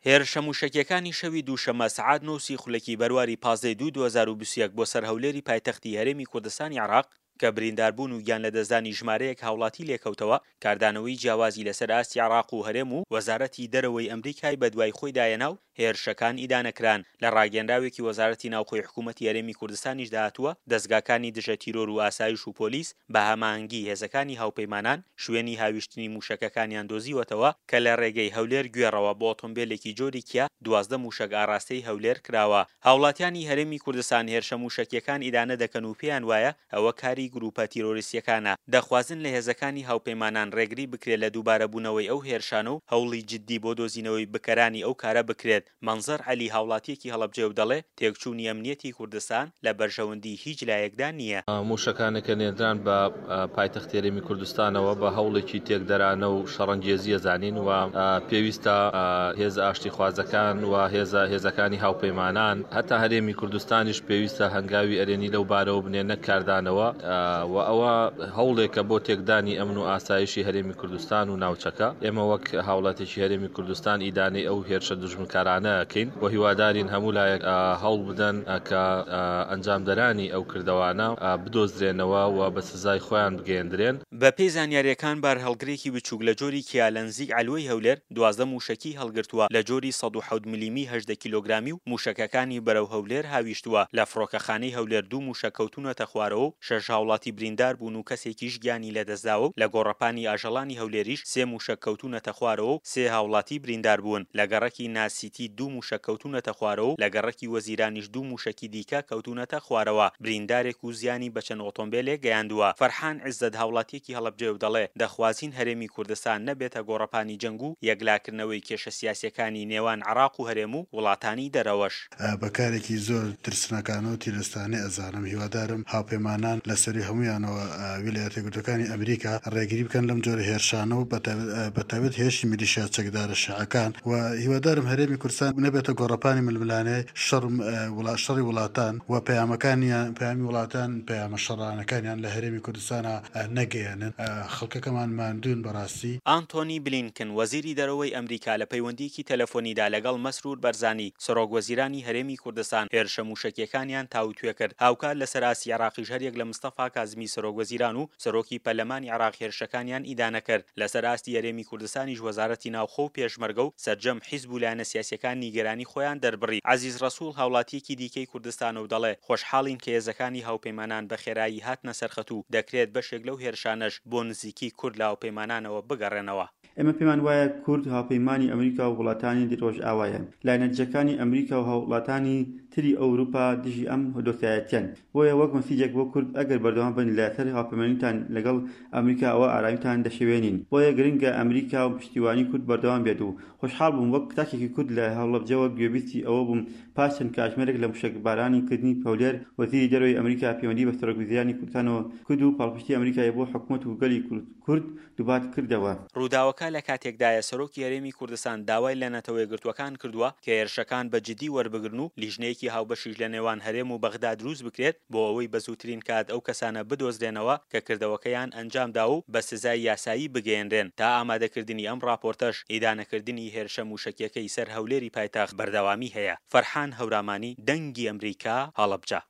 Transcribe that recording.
هێرشە مووشەکییەکانی شەوی دووشەممە سەعات نۆ و سی خولەکی بەرواری 15 ی دوو 2021 بۆ سەر هەولێری پایتەختی هەرێمی کوردستانی عێراق کە برینداربوون و گیانلەدەستدانی ژمارەیەک هاوڵاتی لێکەوتەوە، کاردانەوەی جیاوازی لەسەر ئاستی عێراق و هەرێم و وەزارەتی دەرەوەی ئەمریکای بەدوای خۆیدا هێنا و هێرشەکان ئیدانە کران. لە ڕاگەیەنراوێکی وەزارەتی ناوخۆی حکوومەتی هەرێمی کوردستانیشدا هاتووە، دەزگاکانی دژە تیرۆر و ئاسایش و پۆلیس بە هەماهەنگی هێزەکانی هاوپەیمانان شوێنی هاویشتنی مووشەکەکانیان دۆزیوەتەوە کە لە ڕێگەی هەولێر گوێڕەوە بۆ ئۆتۆمبێلێکی جۆری کیا 12 مووشەک ئاڕاستەی هەولێر کراوە. هاوڵاتیانی هەرێمی کوردستان هێرشە مووشەکییەکان ئیدانە دەکەن و پێیان وایە ئەوە کاری گرووپە تیرۆریستییەکانە، دەخوازن لە هێزەکانی هاوپەیمانان ڕێگری بکرێت لە دووبارەبوونەوەی ئەو هێرشانە و هەوڵی جددی بۆ دۆزینەوەی بکەرانی ئەو کارە بکرێت. مەنزەر عەلی هاوڵاتییەکی هەڵەبجەیە و دەڵێ، تێکچوونی ئەمنییەتی کوردستان لە بەرژەوەندیی هیچ لایەکدا نییە. مووشەکانە کە نێردران بە پایتەختی هەرێمی کوردستانەوە بە هەوڵێکی تێکدەرانە و شەڕەنگێزی ئەزانین و پێویستە هێزە ئاشتیخوازەکان و هێزە هێزەکانی هاوپەیمانان هەتا هەرێمی کوردستانیش پێویستە هەنگاوی ئەرێنی لەو بارەوە بنێن نەک کاردانەوە و ئەوە هەوڵێکە بۆ تێکدانی ئەمن و ئاسایشی هەرێمی کوردستان و ناوچەکە. ئێمە وەک هاوڵاتێکی هەرێمی کوردستان ئیدانەی ئەو هێرشە دوژمنکارانە ئەکەین و هیوادارین هەموو لایەک هەوڵ بدەن کە ئەنجامدەرانی ئەو کردەوانە بدۆزرێنەوە و بە سزای خۆیان بگەیەندرێن. بەپێی زانیارییەکان بارهەڵگرێکی بچووک لە جۆری کیا لە نزیک عەلوەی هەولێر 12 مووشەکی هەڵگرتووە لە جۆری 107 ملیمی 18 کیلۆگرامی و مووشەکەکانی بەرەو هەولێر هاویشتووە، لە فڕۆکەخانەی هەولێر دوو مووشەک کەوتوونەتە خوارەوە و شەش هاوڵاتی بریندار بوون و کەسێکیش گیانی لەدەستداوە و لە گۆڕەپانی ئاژەڵانی هەولێریش سێ مووشەک کەوتوونەتە خوارەوە و سێ هاوڵاتی بریندار بوون، لە گەڕەکی ناسیتی دوو مووشەک کەوتوونەتە خوارەوە و لە گەڕەکی وەزیرانیش دوو مووشەکی دیکە کەوتوونەتە خوارەوە، بریندارێک و زیانی بە چەند ئۆتۆمبێلێک گەیاندووە. فەرحان عیزەت هاوڵاتییەکی هەڵەبجەیە و دەڵێ، دەخوازین هەرێمی کوردستان نەبێتە گۆڕەپانی جەنگ و یەکلاکردنەوەی کێشە سیاسییەکانی نێوان عێراق و هەرێم و وڵاتانی دەرەوەش. بە کارێکی زۆر ترسناکانە و تیرۆرستانەی ئەزانم، هیوادارم هاوپەیمانان لە سەروی هەموویانەوە ویلایەتە یەکگرتووەکانی ئەمریکا ڕێگری بکەن لەم جۆرە هێرشانە و بە تایبەت هێرشی میلیشیا چەکدارە شیعەکان و هیوادارم هەرێمی کوردستان نەبێتە گۆڕەپانی ململانێی شەڕ شەڕی وڵاتان و پەیامەکانیان پەیامی وڵاتان پەیامە شەڕانەکانیان لە هەرێمی کوردستانا نەگەیەنن خەڵکەکەمان ماندوون بەڕاستی. ئانتۆنی بلینکن، وەزیری دەرەوەی ئەمریکا لە پەیوەندییەکی تەلەفۆنیدا لەگەڵ مەسرور بەرزانی، سەرۆک وەزیرانی هەرێمی کوردستان هێرشە مووشەکییەکانیان تاوتوێ کرد. هاوکات لەسەر ئاستی عێراقیش هەریەک لە مستەفا کازمی سەرۆک وەزیران و سەرۆکی پەرلەمانی عێراق هێرشەکانیان ئیدانە کرد. لەسەر ئاستی هەرێمی کوردستانیش وەزارەتی ناوخۆ و پێشمەرگە و سەرجەم حیزب و لایەنە سیاسییەکان نیگەرانی خۆیان دەربڕی. عەزیز ڕەسوڵ هاوڵاتییەکی دیکەی کوردستانە و دەڵێ، خۆشحاڵین کە هێزەکانی هاوپەیمانان بە خێرایی هاتنە سەرخەت و دەکرێت بەشێک لەو هێرشانەش بۆ نزیکی کورد لە هاوپەیمانانەوە بگەڕێنەوە. ئێمە پێمان وایە کورد هاوپەیمانی ئەمریکا و وڵاتانی ڕۆژئاوایە. لایەنە دژەکانی ئەمریکا و هاووڵاتانی تری ئەوروپا دژی ئەم دۆستایەتیەن. بۆیە وەک مەسیجێک بۆ کورد ئەگەر بەردەوام بن لە سەر هاوپەیمانیتان لەگەڵ ئەمریکا ئەوا ئارامیتان دەشێوێنین. بۆیە گرنگە ئەمریکا و پشتیوانی کورد بەردەوام بێت و خۆشحاڵ بووم وەک تاکێکی کورد لە هەڵەبجەوە گوێبیستی ئەوە بووم پاش چەند کاتژمێرێک لە موشەکبارانی کردنی هەولێر وەزیری دەرەوەی ئەمریکا پەیوەندی بە سەرۆکوەزیرانی کوردستانەوە کرد و پاڵپشتی ئەمریکای بۆ حکومەت و گەلی کورد دووپات کردەوە. ڕووداوەکە لە کاتێکدایە سەرۆکی هەرێمی کوردستان داوای لە نەتەوەیەکگرتووەکان کردووە کە هێرشەکان بە جدی وەربگرن و لیژنەیەکی هاوبەشیش لە نێوان هەرێم و بەغدا دروست بکرێت بۆ ئەوەی بە زووترین کات ئەو کەسانە بدۆزرێنەوە کە کردەوەکەیان ئەنجامداوە و بە سزای یاسایی بگەیەنرێن تا ئامادەکردنی ئەم ڕاپۆرتەش ئیدانەکردنی هێرشە مووشەکیەکەی سەر هەولێری پایتەخت بەردەوامی هەیە. فەرحان هەورامانی، دەنگی ئەمریکا، هەڵەبجە.